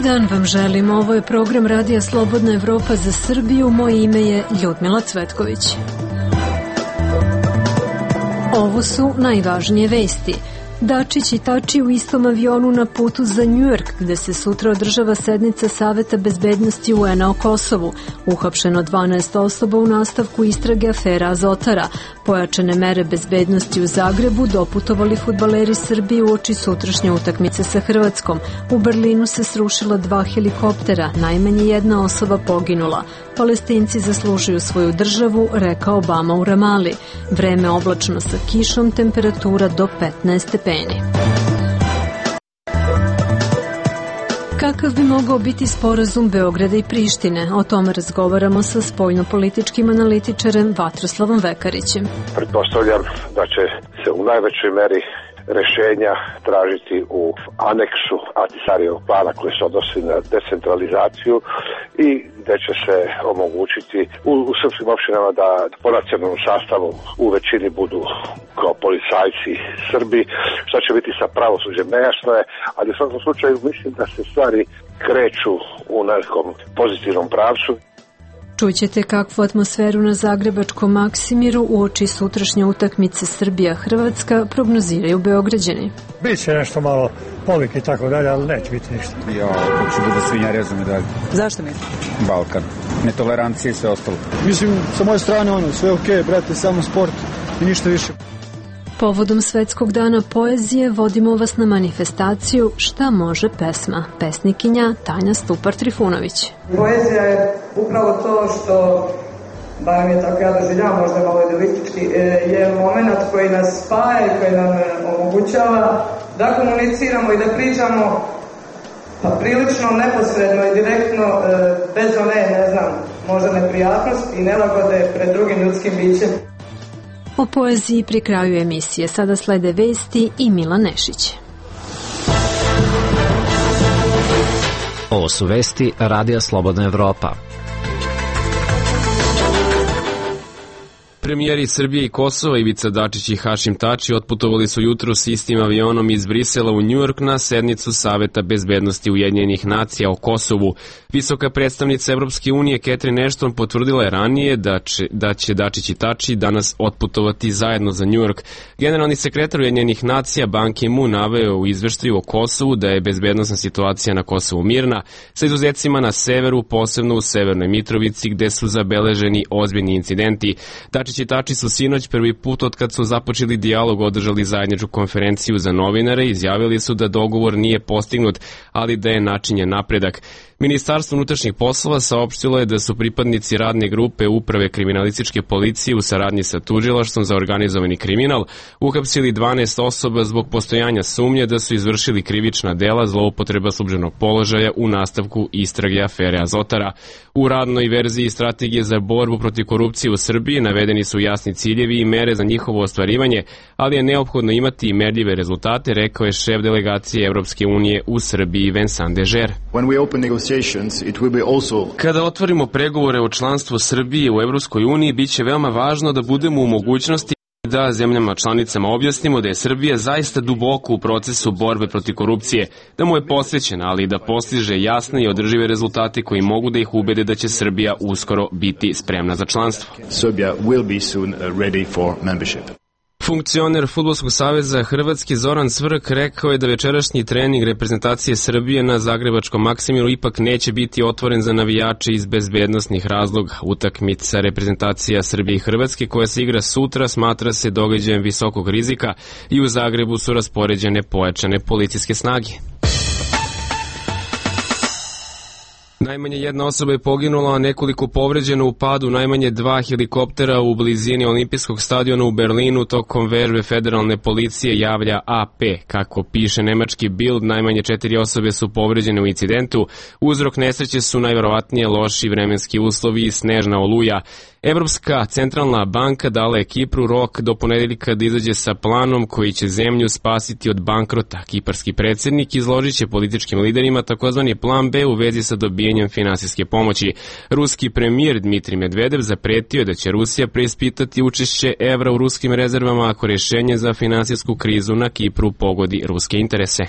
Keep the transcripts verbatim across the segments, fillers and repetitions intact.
Dobar dan vam želim, ovo je program Radija Slobodna Evropa za Srbiju, moje ime je Ljudmila Cvetković. Ovo su najvažnije vesti. Dačić i Tači u istom avionu na putu za Njujork, gde se sutra održava sednica Saveta bezbednosti U N-a o Kosovu. Uhapšeno dvanaest osoba u nastavku istrage afera Azotara. Pojačane mere bezbednosti u Zagrebu doputovali fudbaleri Srbije uoči sutrašnje utakmice sa Hrvatskom. U Berlinu se srušila dva helikoptera, najmanje jedna osoba poginula. Palestinci zaslužuju svoju državu, rekao Obama u Ramali. Vreme oblačno sa kišom, temperatura do petnaest stepeni. Kakav bi mogao biti sporazum Beograda i Prištine? O tome razgovaramo sa spoljnopolitičkim analitičarem Vatroslavom Vekarićem. Pretpostavljam da će se u najvećoj meri rešenja tražiti u aneksu Ahtisarijevog plana koji se odnosi na decentralizaciju i gde će se omogućiti u, u srpskim opštinama da po nacionalnom sastavu u većini budu kao policajci Srbi, što će biti sa pravosuđem nejasno je, ali u svakom slučaju mislim da se stvari kreću u nekom pozitivnom pravcu. Čućete kakvu atmosferu na zagrebačkom Maksimiru uoči sutrašnje utakmice Srbija-Hrvatska prognoziraju Beograđani. Biće nešto malo povike i tako dalje, ali neće biti ništa. Ja, kako će budu svinjarezom i dalje. Zašto misliš? Balkan. Netolerancija i sve ostalo. Mislim, sa moje strane ono, sve okej, okay, brate, samo sport i ništa više. Povodom Svetskog dana poezije vodimo vas na manifestaciju Šta može pesma? Pesnikinja Tanja Stupar-Trifunović. Poezija je upravo to što, bar mi je tako ja doživljavam, možda malo idealistički, je moment koji nas spaja i koji nam omogućava da komuniciramo i da pričamo pa prilično neposredno i direktno, bez one, ne znam, možda neprijatnosti i nelagode pred drugim ljudskim bićem. O poeziji pri kraju emisije. Sada slede vesti i Milan Nešić. Ovo su vesti Radija Slobodna Evropa. Premijeri Srbije i Kosova Ivica Dačić i Hašim Tači otputovali su jutro s istim avionom iz Brisela u Njujork na sednicu Saveta bezbednosti Ujedinjenih nacija o Kosovu. Visoka predstavnica Evropske unije Catherine Ashton potvrdila je ranije da će, da će Dačić i Tači danas otputovati zajedno za Njujork. Generalni sekretar Ujedinjenih nacija Ban Ki-moon naveo u izveštaju o Kosovu da je bezbednosna situacija na Kosovu mirna, sa izuzecima na severu, posebno u Severnoj Mitrovici gde su zabeleženi ozbiljni incidenti. Dačić i Tači su sinoć prvi put od kad su započeli dijalog održali zajedničku konferenciju za novinare i izjavili su da dogovor nije postignut, ali da je načinjen napredak. Ministarstvo unutrašnjih poslova saopštilo je da su pripadnici radne grupe Uprave kriminalističke policije u saradnji sa tužilaštvom za organizovani kriminal uhapsili dvanaest osoba zbog postojanja sumnje da su izvršili krivična dela zloupotreba službenog položaja u nastavku istrage afere Azotara. U radnoj verziji strategije za borbu protiv korupcije u Srbiji navedeni su jasni ciljevi i mere za njihovo ostvarivanje, ali je neophodno imati i merljive rezultate, rekao je šef delegacije Evropske unije u Srbiji Vincent Dežer. Kada otvorimo pregovore o članstvu Srbije u Evropskoj uniji, bit će veoma važno da budemo u mogućnosti da zemljama članicama objasnimo da je Srbija zaista duboko u procesu borbe protiv korupcije, da mu je posvećena, ali i da postiže jasne i održive rezultate koji mogu da ih ubede da će Srbija uskoro biti spremna za članstvo. Serbia will be soon ready for membership. Funkcioner Fudbalskog saveza Hrvatske Zoran Cvrk rekao je da večerašnji trening reprezentacije Srbije na zagrebačkom Maksimiru ipak neće biti otvoren za navijače iz bezbednosnih razloga. Utakmica reprezentacija Srbije i Hrvatske koja se igra sutra smatra se događajem visokog rizika i u Zagrebu su raspoređene pojačane policijske snage. Najmanje jedna osoba je poginula, a nekoliko povređeno u padu najmanje dva helikoptera u blizini olimpijskog stadiona u Berlinu tokom vežbe federalne policije, javlja A P. Kako piše nemački Bild, najmanje četiri osobe su povređene u incidentu. Uzrok nesreće su najverovatnije loši vremenski uslovi i snežna oluja. Evropska centralna banka dala je Kipru rok do ponedeljka da izađe sa planom koji će zemlju spasiti od bankrota. Kiparski predsjednik izložit će političkim liderima takozvani plan B u vezi sa dobijanjem finansijske pomoći. Ruski premijer Dmitrij Medvedev zapretio je da će Rusija preispitati učešće evra u ruskim rezervama ako rješenje za finansijsku krizu na Kipru pogodi ruske interese.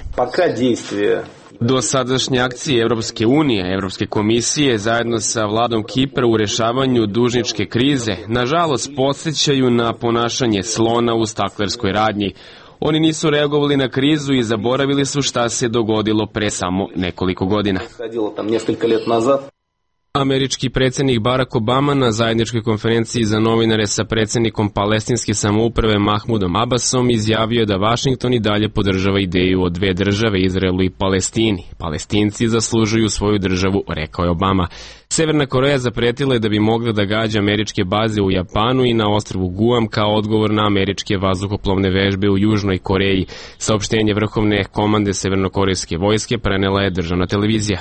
Do sadašnje akcije Evropske unije, Evropske komisije zajedno sa vladom Kipra u rešavanju dužničke krize, nažalost podsjećaju na ponašanje slona u staklerskoj radnji. Oni nisu reagovali na krizu i zaboravili su šta se dogodilo pre samo nekoliko godina. Američki predsjednik Barack Obama na zajedničkoj konferenciji za novinare sa predsjednikom palestinske samouprave Mahmudom Abbasom izjavio je da Vašington i dalje podržava ideju o dve države, Izraelu i Palestini. Palestinci zaslužuju svoju državu, rekao je Obama. Severna Koreja zapretila je da bi mogla da gađa američke baze u Japanu i na ostrvu Guam kao odgovor na američke vazduhoplovne vežbe u Južnoj Koreji. Saopštenje vrhovne komande severnokorejske vojske prenela je državna televizija.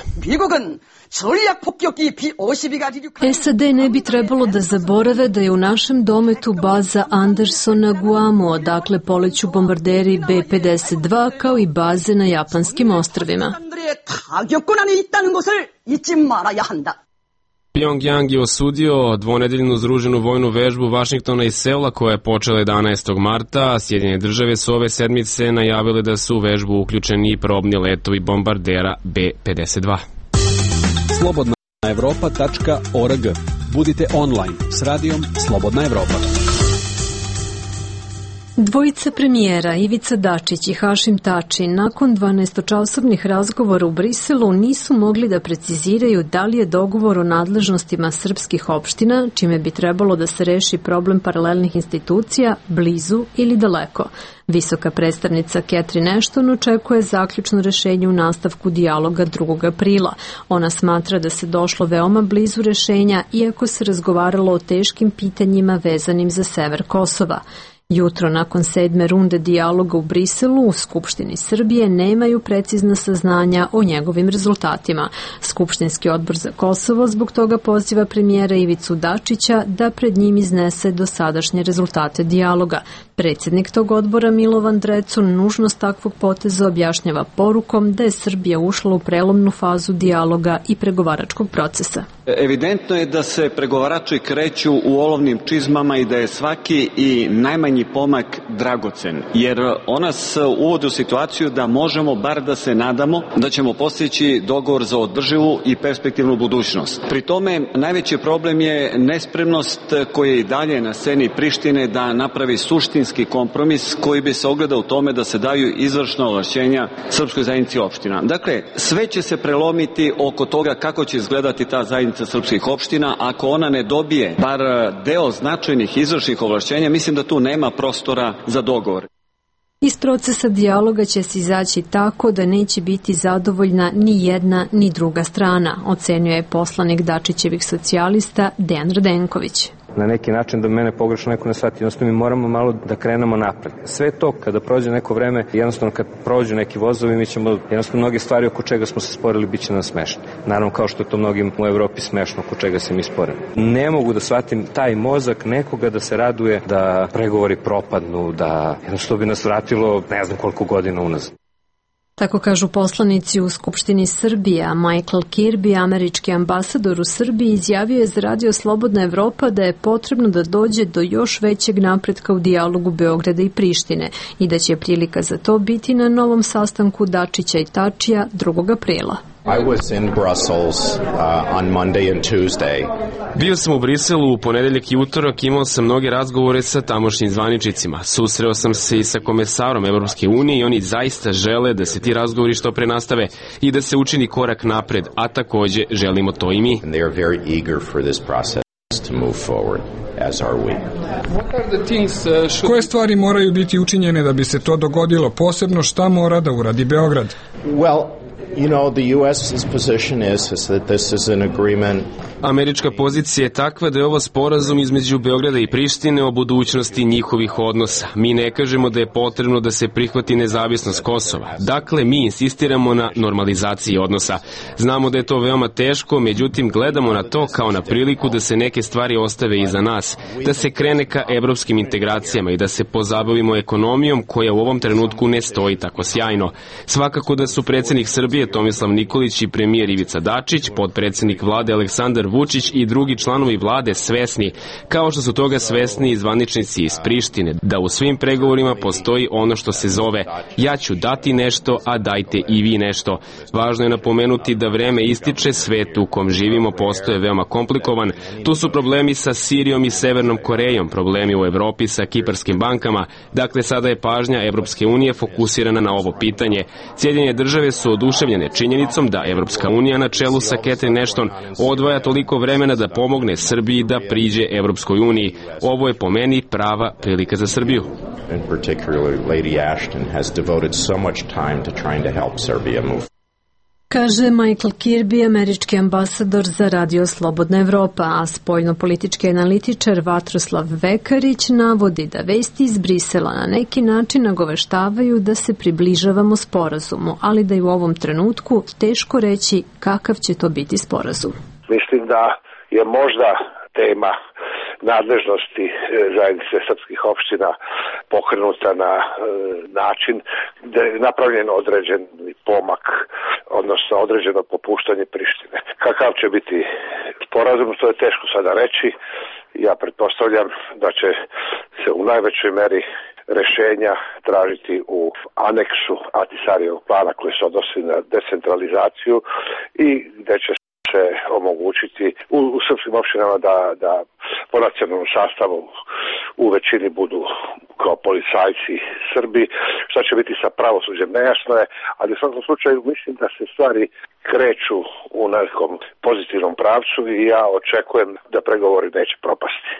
S A D ne bi trebalo da zaborave da je u našem dometu baza Anderson na Guamu, odakle poleću bombarderi B pedeset dva, kao i baze na japanskim ostrvima. Pyongyang je osudio dvonedeljnu združenu vojnu vežbu Vašingtona i Seula koja je počela jedanaestog marta, a Sjedinjene države su ove sedmice najavile da su u vežbu uključeni i probni letovi bombardera B pedeset dva. slobodna evropa tačka org. Budite online s radijom Slobodna Evropa. Dvojica premijera Ivica Dačić i Hašim Tači nakon dvanaestočasovnih razgovora u Briselu nisu mogli da preciziraju da li je dogovor o nadležnostima srpskih opština, čime bi trebalo da se reši problem paralelnih institucija, blizu ili daleko. Visoka predstavnica Catherine Ashton očekuje zaključno rešenje u nastavku dijaloga drugog aprila. Ona smatra da se došlo veoma blizu rešenja, iako se razgovaralo o teškim pitanjima vezanim za sever Kosova. Jutro nakon sedme runde dijaloga u Briselu u Skupštini Srbije nemaju precizna saznanja o njegovim rezultatima. Skupštinski odbor za Kosovo zbog toga poziva premijera Ivicu Dačića da pred njim iznese dosadašnje rezultate dijaloga. Predsjednik tog odbora Milovan Drecun nužnost takvog poteza objašnjava porukom da je Srbija ušla u prelomnu fazu dijaloga i pregovaračkog procesa. Evidentno je da se pregovarači kreću u olovnim čizmama i da je svaki i najmanji pomak dragocen, jer ona nas uvodi u situaciju da možemo bar da se nadamo da ćemo postići dogovor za održivu i perspektivnu budućnost. Pri tome najveći problem je nespremnost koja je i dalje na sceni Prištine da napravi suštinski kompromis koji bi se ogledao u tome da se daju izvršna ovlašćenja srpskoj zajednici opština. Dakle, sve će se prelomiti oko toga kako će izgledati ta zajednica srpskih opština. Ako ona ne dobije bar deo značajnih izvršnih ovlašćenja, mislim da tu nema prostora za dogovor. Iz procesa dijaloga će se izaći tako da neće biti zadovoljna ni jedna ni druga strana, ocenjuje poslanik Dačićevih socijalista Dejan Radenković. Na neki način da mene pogrešno neko ne shvati, jednostavno mi moramo malo da krenemo napred. Sve to kada prođe neko vreme, jednostavno kad prođu neki vozovi, mi ćemo jednostavno mnoge stvari oko čega smo se sporili bit će nam smešne. Naravno kao što je to mnogim u Evropi smešno oko čega se mi sporimo. Ne mogu da shvatim taj mozak nekoga da se raduje da pregovori propadnu, da jednostavno bi nas vratilo ne znam koliko godina unazad. Tako kažu poslanici u Skupštini Srbije, a Michael Kirby, američki ambasador u Srbiji, izjavio je za Radio Slobodna Evropa da je potrebno da dođe do još većeg napretka u dijalogu Beograda i Prištine i da će prilika za to biti na novom sastanku Dačića i Tačija drugog aprila. I was in Brussels uh, on Monday and Tuesday. Bio sam u Briselu u ponedeljak i utorak, imao sam mnoge razgovore sa tamošnjim zvaničnicima. Susreo sam se i sa komesarom Evropske unije i oni zaista žele da se ti razgovori što pre nastave i da se učini korak napred, a takođe želimo to i mi. And they are very eager for this process to move forward, as are we. Koje stvari moraju biti učinjene da bi se to dogodilo, posebno šta mora da uradi Beograd? Well, you know, the US's position is, is that this is an agreement. Američka pozicija je takva da je ovo sporazum između Beograda i Prištine o budućnosti njihovih odnosa. Mi ne kažemo da je potrebno da se prihvati nezavisnost Kosova. Dakle, mi insistiramo na normalizaciji odnosa. Znamo da je to veoma teško, međutim gledamo na to kao na priliku da se neke stvari ostave iza nas, da se krene ka evropskim integracijama i da se pozabavimo ekonomijom koja u ovom trenutku ne stoji tako sjajno. Svakako da su predsjednik Srbije Srbije Tomislav Nikolić i premijer Ivica Dačić, potpredsednik vlade Aleksandar Vučić i drugi članovi vlade svesni, kao što su toga svesni i zvaničnici iz Prištine, da u svim pregovorima postoji ono što se zove ja ću dati nešto, a dajte i vi nešto. Važno je napomenuti da vreme ističe, svet u kom živimo postoje veoma komplikovan. Tu su problemi sa Sirijom i Severnom Korejom, problemi u Evropi sa kiparskim bankama. Dakle, sada je pažnja Evropske unije fokusirana na ovo pitanje. Sjedinjene države su oduševljene činjenicom da Evropska unija na čelu sa Catherine Ashton odvaja toliko vremena da pomogne Srbiji da priđe Evropskoj uniji. Ovo je po meni prava prilika za Srbiju. In particular, Lady Ashton has devoted so much time to trying to help Serbia move. Kaže Michael Kirby, američki ambasador za Radio Slobodna Evropa, a spoljno-politički analitičar Vatroslav Vekarić navodi da vesti iz Brisela na neki način nagoveštavaju da se približavamo sporazumu, ali da je u ovom trenutku teško reći kakav će to biti sporazum. Mislim da je možda tema nadležnosti zajednice srpskih opština pokrenuta na e, način da je napravljen određen pomak, odnosno određeno popuštanje Prištine. Kakav će biti sporazum, to je teško sada reći. Ja pretpostavljam da će se u najvećoj meri rešenja tražiti u aneksu Ahtisarijevog plana koji se odnosi na decentralizaciju i gde će se omogućiti u, u srpskim opštinama da, da po nacionalnom sastavu u većini budu kao policajci Srbi. Šta će biti sa pravosuđem nejasno je, ali u svakom slučaju mislim da se stvari kreću u nekom pozitivnom pravcu i ja očekujem da pregovori neće propasti.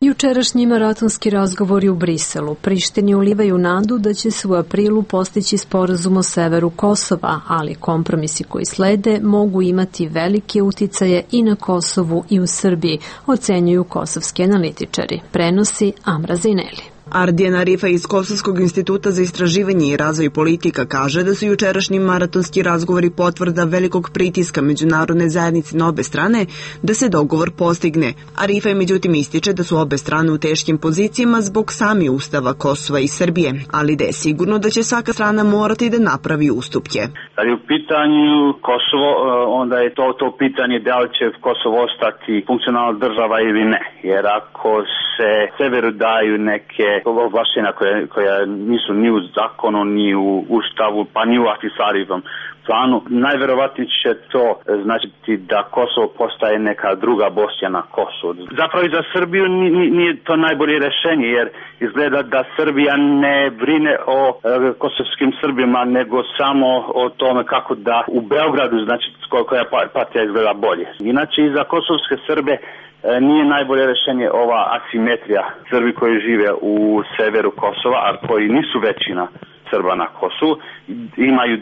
Jučerašnji maratonski razgovori u Briselu Prištini ulivaju nadu da će se u aprilu postići sporazum o severu Kosova, ali kompromisi koji slede mogu imati velike uticaje i na Kosovu i u Srbiji, ocenjuju kosovski analitičari, prenosi Amra Zineli. Ardijan Arifa iz Kosovskog instituta za istraživanje i razvoj politika kaže da su jučerašnji maratonski razgovori potvrda velikog pritiska međunarodne zajednice na obe strane da se dogovor postigne. Arifa je međutim ističe da su obe strane u teškim pozicijama zbog sami ustava Kosova i Srbije, ali da je sigurno da će svaka strana morati da napravi ustupke. Kad je u pitanju Kosovo, onda je to to pitanje da li će Kosovo ostati funkcionalna država ili ne, jer ako se severu daju neke ovlašćenja koja, koja nisu ni u zakonu, ni u ustavu, pa ni u Ahtisarijevom planu, najverovatnije će to značiti da Kosovo postaje neka druga Bosna na Kosovu. Zapravo i za Srbiju nije to najbolje rešenje, jer izgleda da Srbija ne brine o e, kosovskim Srbima, nego samo o tome kako da u Beogradu, znači koja partija izgleda bolje. Inače i za kosovske Srbe nije najbolje rešenje ova asimetrija. Srbi koji žive u severu Kosova, a koji nisu većina Srba na Kosovu, imaju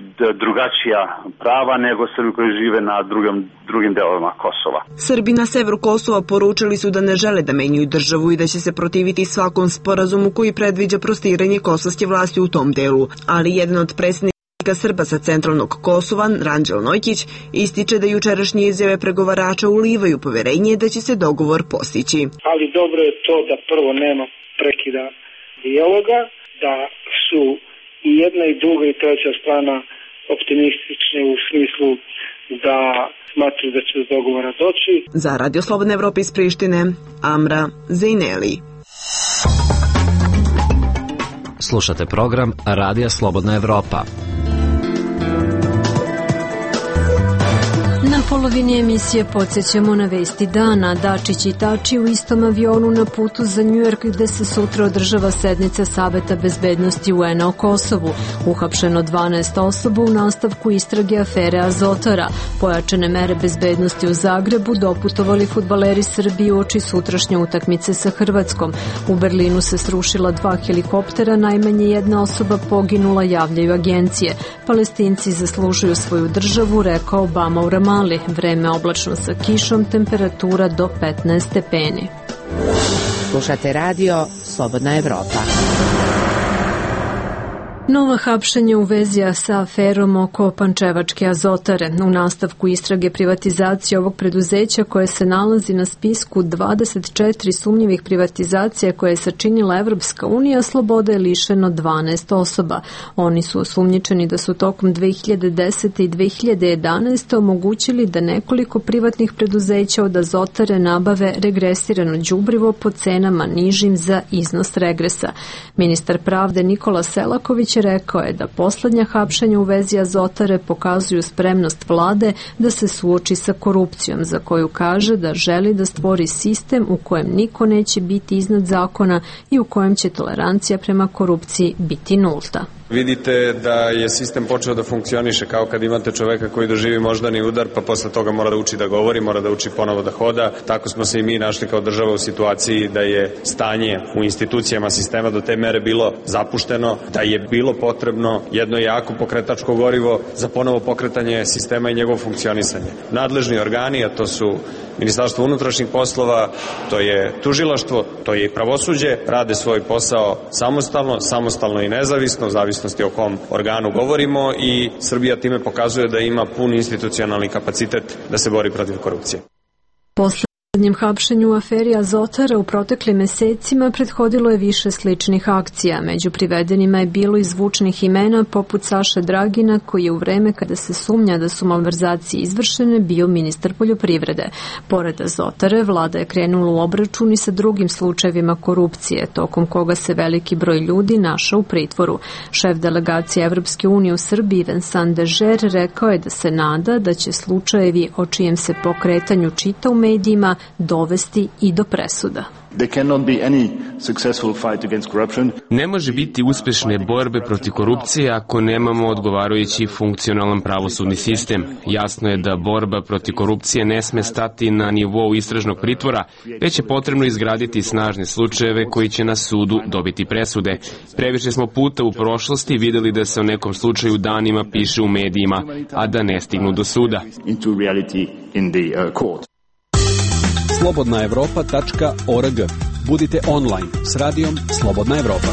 drugačija prava nego Srbi koji žive na drugim, drugim delovima Kosova. Srbi na severu Kosova poručili su da ne žele da menjaju državu i da će se protiviti svakom sporazumu koji predviđa prostiranje kosovske vlasti u tom delu, ali jedan od predsjednika Srba sa centralnog Kosova, Ranđel Nojkić, ističe da jučerašnje izjave pregovarača ulivaju poverenje da će se dogovor postići. Ali dobro je to da prvo nema prekida dijaloga, da su i jedna i druga i treća strana optimistične u smislu da smatruju da će do dogovora doći. Za Radio Slobodna Evropa iz Prištine, Amra Zejneli. Slušate program Radija Slobodna Evropa. Na polovini emisije podsjećamo na vesti dana. Dačić i Tači u istom avionu na putu za Njujork gde se sutra održava sednica Saveta bezbednosti U N-a o Kosovu. Uhapšeno dvanaest osoba u nastavku istrage afere Azotara. Pojačane mere bezbednosti u Zagrebu doputovali fudbaleri Srbije uoči sutrašnje utakmice sa Hrvatskom. U Berlinu se srušila dva helikoptera, najmanje jedna osoba poginula, javljaju agencije. Palestinci zaslužuju svoju državu, rekao Obama u Ramali. Vreme oblačno sa kišom, temperatura do petnaest stepeni. Slušate radio Slobodna Evropa. Nova hapšenja u vezi sa aferom oko pančevačke azotare. U nastavku istrage privatizacije ovog preduzeća koje se nalazi na spisku dvadeset četiri sumnjivih privatizacija koje je sačinila Evropska unija, slobode je lišeno dvanaest osoba. Oni su osumnjičeni da su tokom dve hiljade desete. i dve hiljade jedanaeste. omogućili da nekoliko privatnih preduzeća od azotare nabave regresirano đubrivo po cenama nižim za iznos regresa. Ministar pravde Nikola Selaković rekao je da poslednja hapšenja u vezi azotare pokazuju spremnost vlade da se suoči sa korupcijom, za koju kaže da želi da stvori sistem u kojem niko neće biti iznad zakona i u kojem će tolerancija prema korupciji biti nulta. Vidite da je sistem počeo da funkcioniše kao kad imate čoveka koji doživi moždani udar, pa posle toga mora da uči da govori, mora da uči ponovo da hoda. Tako smo se i mi našli kao država u situaciji da je stanje u institucijama sistema do te mere bilo zapušteno, da je bilo potrebno jedno jako pokretačko gorivo za ponovo pokretanje sistema i njegovo funkcionisanje. Nadležni organi, a to su Ministarstvo unutrašnjih poslova, to je tužilaštvo, to je i pravosuđe, rade svoj posao samostalno, samostalno i nezavisno, u zavisnosti o kom organu govorimo, i Srbija time pokazuje da ima pun institucionalni kapacitet da se bori protiv korupcije. Poslednjem hapšenju u aferi Azotara u proteklim mesecima prethodilo je više sličnih akcija. Među privedenima je bilo i zvučnih imena poput Saše Dragina, koji je u vreme kada se sumnja da su malverzacije izvršene bio ministar poljoprivrede. Pored Azotare, vlada je krenula u obračun i sa drugim slučajevima korupcije, tokom koga se veliki broj ljudi našao u pritvoru. Šef delegacije Evropske unije u Srbiji, Vincent Dežer, rekao je da se nada da će slučajevi o čijem se pokretanju čita u medijima dovesti i do presuda. Ne može biti uspešne borbe protiv korupcije ako nemamo odgovarajući funkcionalan pravosudni sistem. Jasno je da borba protiv korupcije ne sme stati na nivou istražnog pritvora, već je potrebno izgraditi snažne slučajeve koji će na sudu dobiti presude. Previše smo puta u prošlosti videli da se o nekom slučaju danima piše u medijima, a da ne stignu do suda. slobodna evropa tačka org. Budite online s radijom Slobodna Evropa.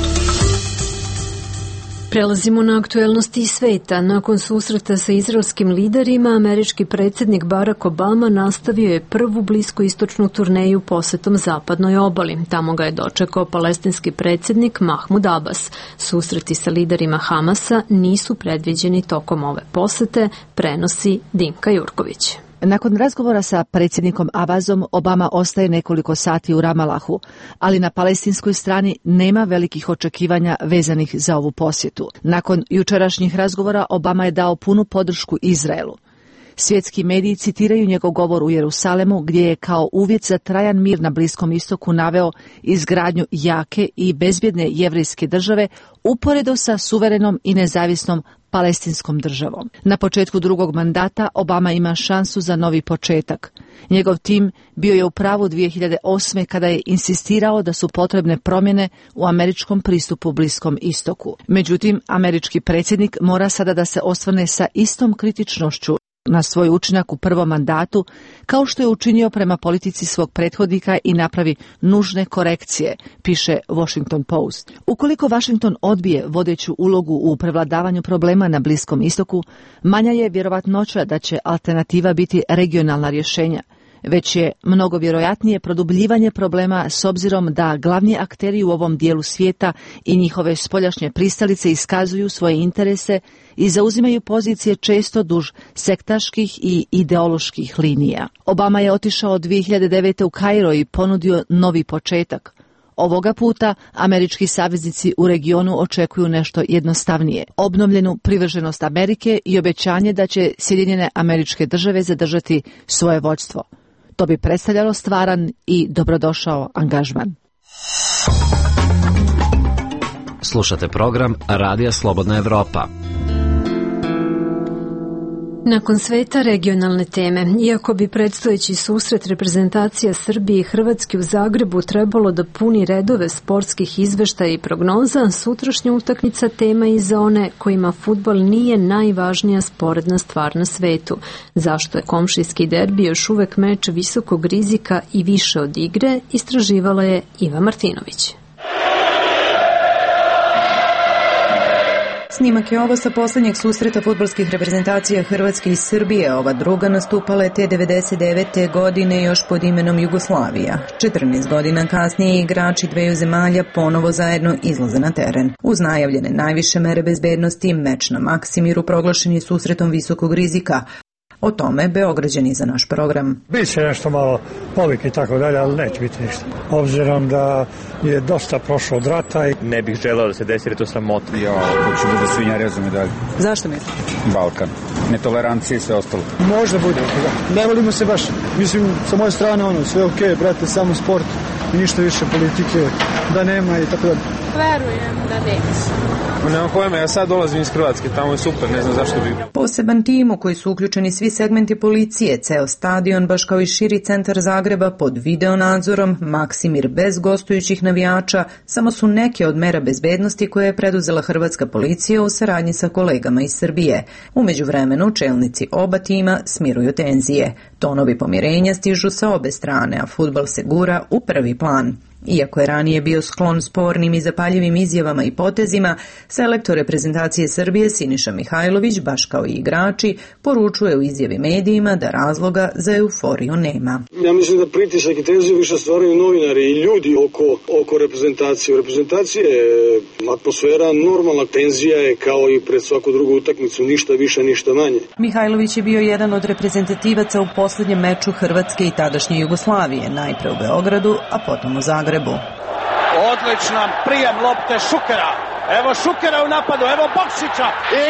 Prelazimo na aktuelnosti iz sveta. Nakon susreta sa izraelskim liderima, američki predsjednik Barack Obama nastavio je prvu bliskoistočnu turneju posetom zapadnoj obali. Tamo ga je dočekao palestinski predsjednik Mahmud Abbas. Susreti sa liderima Hamasa nisu predviđeni tokom ove posete, prenosi Dinka Jurković. Nakon razgovora sa predsjednikom Abbasom, Obama ostaje nekoliko sati u Ramalahu, ali na palestinskoj strani nema velikih očekivanja vezanih za ovu posjetu. Nakon jučerašnjih razgovora, Obama je dao punu podršku Izraelu. Svjetski mediji citiraju njegov govor u Jerusalemu, gdje je kao uvjet za trajan mir na Bliskom istoku naveo izgradnju jake i bezbjedne jevrejske države uporedo sa suverenom i nezavisnom palestinskom državom. Na početku drugog mandata Obama ima šansu za novi početak. Njegov tim bio je u pravu dvije hiljade osme kada je insistirao da su potrebne promjene u američkom pristupu Bliskom istoku. Međutim, američki predsjednik mora sada da se osvrne sa istom kritičnošću na svoj učinak u prvom mandatu, kao što je učinio prema politici svog prethodnika i napravi nužne korekcije, piše Washington Post. Ukoliko Washington odbije vodeću ulogu u prevladavanju problema na Bliskom istoku, manja je vjerovatnoća da će alternativa biti regionalna rješenja. Već je mnogo vjerojatnije produbljivanje problema s obzirom da glavni akteri u ovom dijelu svijeta i njihove spoljašnje pristalice iskazuju svoje interese i zauzimaju pozicije često duž sektaških i ideoloških linija. Obama je otišao dvije hiljade devete u Kairo i ponudio novi početak. Ovoga puta američki saveznici u regionu očekuju nešto jednostavnije, obnovljenu privrženost Amerike i obećanje da će Sjedinjene Američke Države zadržati svoje vođstvo. To bi predstavljalo stvaran i dobrodošao angažman. Slušate program Radija Slobodna Evropa. Nakon sveta regionalne teme, iako bi predstojeći susret reprezentacija Srbije i Hrvatske u Zagrebu trebalo da puni redove sportskih izveštaja i prognoza, sutrašnja utakmica tema i za one kojima fudbal nije najvažnija sporedna stvar na svetu. Zašto je komšijski derbi još uvek meč visokog rizika i više od igre, istraživala je Iva Martinović. Snimak je ovo sa poslednjeg susreta fudbalskih reprezentacija Hrvatske i Srbije. Ova druga nastupala je te devedeset devete. godine još pod imenom Jugoslavija. četrnaest godina kasnije igrači dveju zemalja ponovo zajedno izlaze na teren. Uz najavljene najviše mere bezbednosti, meč na Maksimiru proglašen je susretom visokog rizika. O tome Beograđani za naš program. Biće nešto malo povik i tako dalje, ali neće biti ništa. Obzirom da je dosta prošlo od rata i ne bih želeo da se desi, jer je to sramota. Ja, hoću bude svinjareza medalje. Zašto mislite? Balkan. Netolerancija i sve ostalo. Možda bude. Da. Ne volimo se baš. Mislim, sa moje strane ono, sve okej, okay, brate, samo sport i ništa više politike da nema i tako dalje. Verujem da neće. Nemam pojma, ja sad dolazim iz Hrvatske, tamo je super, ne znam zašto bi. Poseban tim u koji su uključeni svi segmenti policije, ceo stadion, baš kao i širi centar Zagreba pod video nadzorom, Maksimir bez gostujućih navijača, samo su neke od mera bezbednosti koje je preduzela hrvatska policija u saradnji sa kolegama iz Srbije. Umeđu vremenu, čelnici oba tima smiruju tenzije. Tonovi pomirenja stižu sa obe strane, a fudbal se gura u prvi plan. Iako je ranije bio sklon spornim i zapaljivim izjavama i potezima, selektor reprezentacije Srbije Siniša Mihajlović, baš kao i igrači, poručuje u izjavi medijima da razloga za euforiju nema. Ja mislim da pritisak i tenziju više stvaraju novinari i ljudi oko, oko reprezentacije. U reprezentaciji je atmosfera normalna, tenzija je kao i pred svaku drugu utakmicu, ništa više, ništa manje. Mihajlović je bio jedan od reprezentativaca u poslednjem meču Hrvatske i tadašnje Jugoslavije, najpre u Beogradu, a potom u Zagrebu. Odličan prijem lopte Šukera. Evo Šukera u napadu, evo Bokšića. I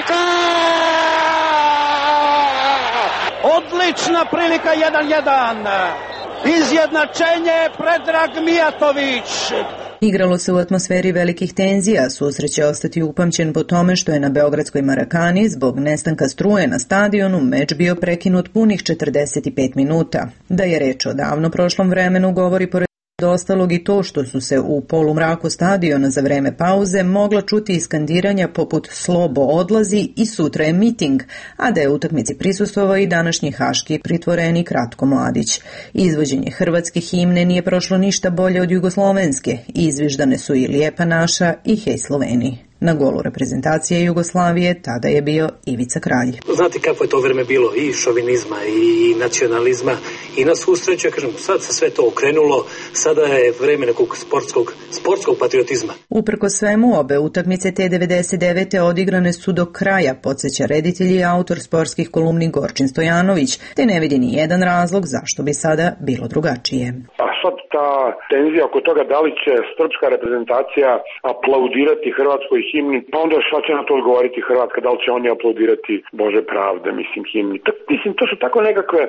odlična prilika jedan jedan. Izjednačenje Predrag Mijatović. Igralo se u atmosferi velikih tenzija, susret će ostati upamćen po tome što je na beogradskoj Marakani zbog nestanka struje na stadionu meč bio prekinut punih četrdeset pet minuta. Da je reč o davno prošlom vremenu govori pored do ostalog i to što su se u polumraku stadiona za vreme pauze mogla čuti iskandiranja poput Slobo odlazi i sutra je miting, a da je utakmici prisustvovao i današnji haški pritvorenik Ratko Mladić. Izvođenje hrvatske himne nije prošlo ništa bolje od jugoslovenske, izviždane su i Lijepa naša i Hej Sloveni. Na golu reprezentacije Jugoslavije tada je bio Ivica Kralj. Znate kako je to vreme bilo i šovinizma i nacionalizma i na svu sreću, ja kažem, sad se sve to okrenulo, sada je vreme nekog sportskog, sportskog patriotizma. Uprko svemu, obe utakmice te devedeset devete. odigrane su do kraja, podsjeća reditelj i autor sportskih kolumni Gorčin Stojanović, te ne vidi ni jedan razlog zašto bi sada bilo drugačije. A sad ta tenzija oko toga da li će srpska reprezentacija aplaudirati hrvatskoj himni, pa onda šta će na to odgovoriti Hrvatska, da li će oni aplaudirati Bože pravde, mislim, himni. To, mislim, to su tako nekakve,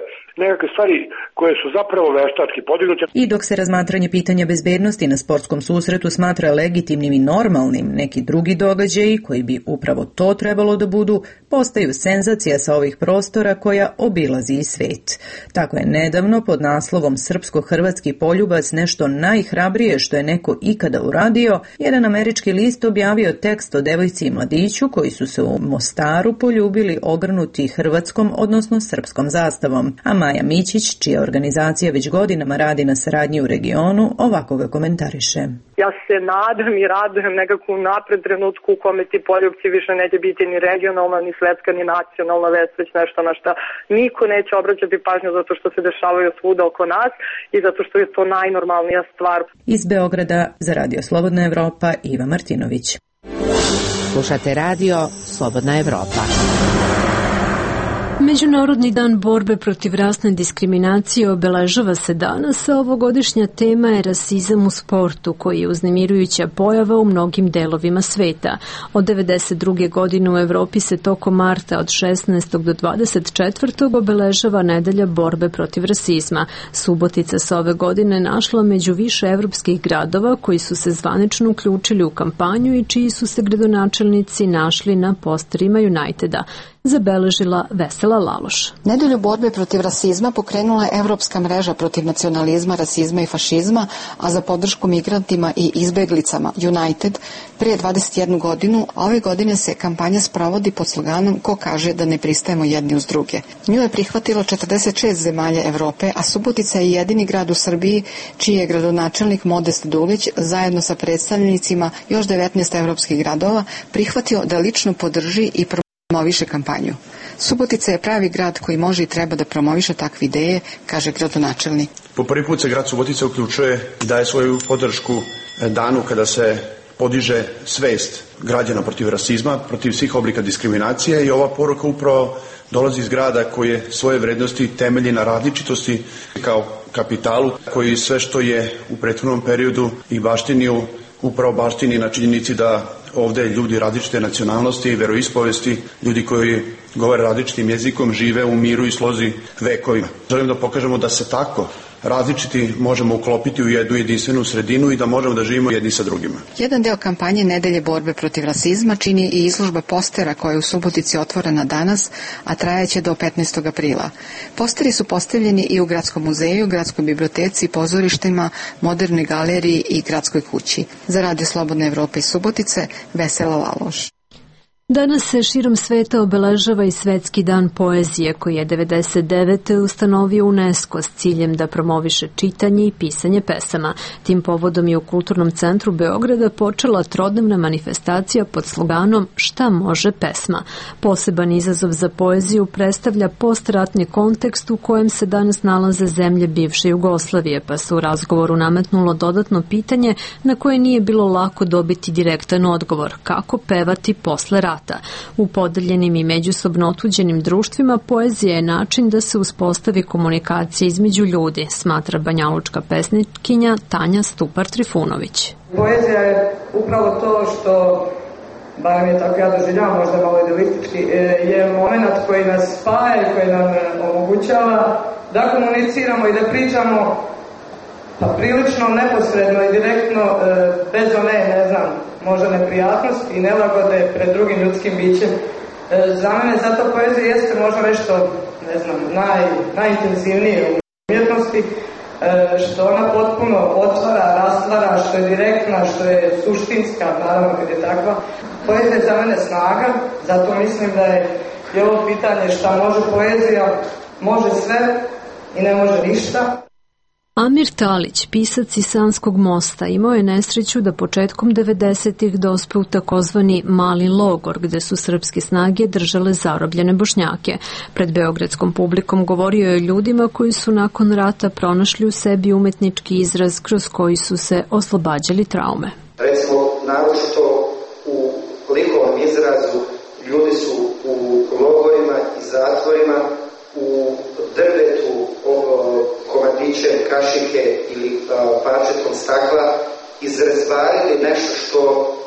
nekakve stvari koje su zapravo veštački podignute. I dok se razmatranje pitanja bezbednosti na sportskom susretu smatra legitimnim i normalnim, neki drugi događaji koji bi upravo to trebalo da budu, postaju senzacija sa ovih prostora koja obilazi i svet. Tako je nedavno pod naslovom Srpsko-hrvatski poljubac nešto najhrabrije što je neko ikada uradio, jedan američki list objavio tekst o devojci i mladiću koji su se u Mostaru poljubili ogrnuti hrvatskom, odnosno srpskom zastavom. A Maja Mićić, čija organizacija već godinama radi na saradnji u regionu, ovako ga komentariše. Ja se nadam i radujem nekako u napred trenutku u kome ti poljubci više neće biti ni regionalna, ni svetska, ni nacionalna vest, već nešto na šta niko neće obraćati pažnju zato što se dešavaju svuda oko nas i zato što je to najnormalnija stvar. Iz Beograda za Radio Slobodna Evropa Iva Martinović. Slušate radio Slobodna Evropa. Međunarodni dan borbe protiv rasne diskriminacije obeležava se danas, a ovogodišnja tema je rasizam u sportu, koji je uznemirujuća pojava u mnogim delovima sveta. Od devedeset druge. godine u Evropi se tokom marta od šesnaestog do dvadeset četvrtog obeležava nedelja borbe protiv rasizma. Subotica se ove godine našla među više evropskih gradova koji su se zvanično uključili u kampanju i čiji su se gradonačelnici našli na posterima Uniteda. zabeležila Vesela Laloš. Nedelju borbe protiv rasizma pokrenula je Evropska mreža protiv nacionalizma, rasizma i fašizma, a za podršku migrantima i izbeglicama United prije dvadeset jednu godinu, a ove godine se kampanja sprovodi pod sloganom Ko kaže da ne pristajemo jedni uz druge. Nju je prihvatilo četrdeset šest zemalja Evrope, a Subotica je jedini grad u Srbiji čiji je gradonačelnik Modest Dulić zajedno sa predstavnicima još devetnaest evropskih gradova prihvatio da lično podrži i promoviše kampanju. Subotica je pravi grad koji može i treba da promoviše takve ideje, kaže gradonačelnik. Po prvi put se grad Subotica uključuje i daje svoju podršku danu kada se podiže svest građana protiv rasizma, protiv svih oblika diskriminacije, i ova poruka upravo dolazi iz grada koji je svoje vrednosti temelji na različitosti kao kapitalu, koji sve što je u prethodnom periodu i baštiniju upravo baštini na činjenici da ovde ljudi različite nacionalnosti i veroispovesti, ljudi koji govore različitim jezikom, žive u miru i slozi vekovima. Želim da pokažemo da se tako različiti možemo uklopiti u jednu jedinstvenu sredinu i da možemo da živimo jedni sa drugima. Jedan deo kampanje Nedelje borbe protiv rasizma čini i izložba postera koja je u Subotici otvorena danas, a trajaće do petnaestog aprila. Posteri su postavljeni i u Gradskom muzeju, Gradskoj biblioteci, pozorištima, Modernoj galeriji i Gradskoj kući. Za Radio Slobodne Evrope iz Subotice, Vesela Laloš. Danas se širom sveta obeležava i Svetski dan poezije koji je devedeset devete ustanovio UNESCO s ciljem da promoviše čitanje i pisanje pesama. Tim povodom je u Kulturnom centru Beograda počela trodnevna manifestacija pod sloganom Šta može pesma? Poseban izazov za poeziju predstavlja postratni kontekst u kojem se danas nalaze zemlje bivše Jugoslavije, pa se u razgovoru nametnulo dodatno pitanje na koje nije bilo lako dobiti direktan odgovor: kako pevati posle rata? U podeljenim i međusobno otuđenim društvima poezija je način da se uspostavi komunikacija između ljudi, smatra banjalučka pesnikinja Tanja Stupar-Trifunović. Poezija je upravo to što, barem je tako ja doživljavam, možda malo idealistički, je moment koji nas spaja i koji nam omogućava da komuniciramo i da pričamo pa prilično neposredno i direktno, bez one, ne znam, možda neprijatnosti i nelagode pred drugim ljudskim bićem. Za mene zato poezija jeste možda nešto, ne znam, naj, najintenzivnije u umjetnosti, što ona potpuno otvara, rastvara, što je direktna, što je suštinska, naravno kad je takva. Poezija je za mene snaga, zato mislim da je, je ovo pitanje šta može poezija, može sve i ne može ništa. Amir Talić, pisac iz Sanskog mosta, imao je nesreću da početkom devedesetih dospe u takozvani mali logor, gde su srpske snage držale zarobljene Bošnjake. Pred beogradskom publikom govorio je ljudima koji su nakon rata pronašli u sebi umetnički izraz kroz koji su se oslobađali traume. Recimo, naročito u likovnom izrazu ljudi su u logorima i zatvorima u drvetu, komadićem kašike ili parčetom stakla izrezbarili nešto što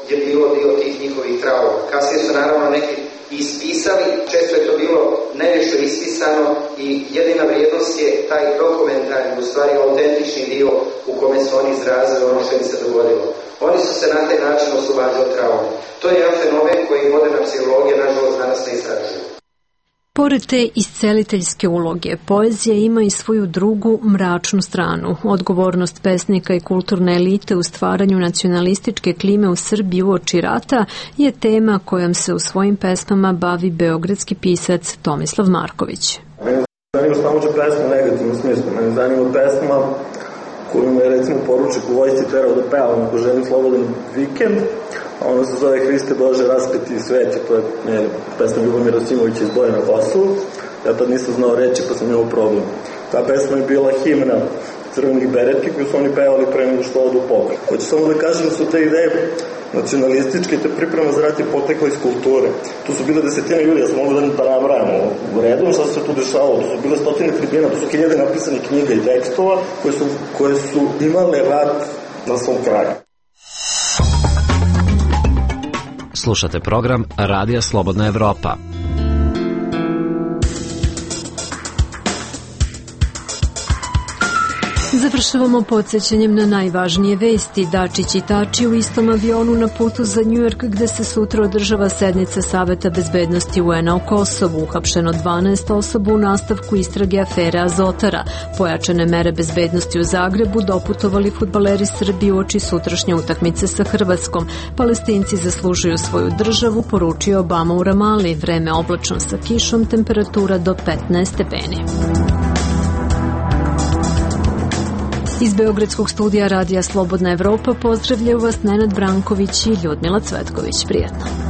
je bilo dio tih njihovih trauma. Kasnije su naravno neki ispisali, često je to bilo nešto ispisano i jedina vrijednost je taj dokumentarni, u stvari autentični dio u kome su oni izrazili ono što im se dogodilo. Oni su se na taj način oslobađali traume. To je jedan fenomen koji moderna psihologija, nažalost, danas ne istražuje. Pored te isceliteljske uloge, poezija ima i svoju drugu mračnu stranu. Odgovornost pesnika i kulturne elite u stvaranju nacionalističke klime u Srbiji uoči rata je tema kojom se u svojim pesmama bavi beogradski pisac Tomislav Marković. Mene zanima samo će pesma u negativnom smislu. Mene zanima pesma koju me je recimo poručnik u vojsci terao da pevam ako želim slobodan vikend. Ono se zove Hriste Bože raspeti sveti, to je ne, pesma Ljubomira Simovića iz Boja na Kosovu. Ja tad nisam znao reći pa sam imao problem. Ta pesma je bila himna crvenih bereti koju su oni pevali pre nego što odu u pokret. Hoću samo da kažem da su te ideje nacionalističke, te priprema za rat je potekla iz kulture. Tu su bile desetine ljudi, ja sam mogu da da nabrajamo u redom šta se tu dešavalo. Tu su bile stotine tribina, tu su hiljade napisanih knjiga i tekstova koje su, koje su imale rat na svom kraju. Slušate program Radija Slobodna Evropa. Završavamo podsjećanjem na najvažnije vesti. Dačić i Tači u istom avionu na putu za Njujork, gde se sutra održava sednica Saveta bezbednosti U N-a o Kosovu. Uhapšeno dvanaest osoba u nastavku istrage afere Azotara. Pojačane mere bezbednosti u Zagrebu, doputovali fudbaleri Srbije uoči sutrašnje utakmice sa Hrvatskom. Palestinci zaslužuju svoju državu, poručio Obama u Ramali. Vreme oblačno sa kišom, temperatura do petnaest stepeni. Iz Beogradskog studija Radija Slobodna Evropa pozdravljaju vas Nenad Branković i Ljudmila Cvetković. Prijetno.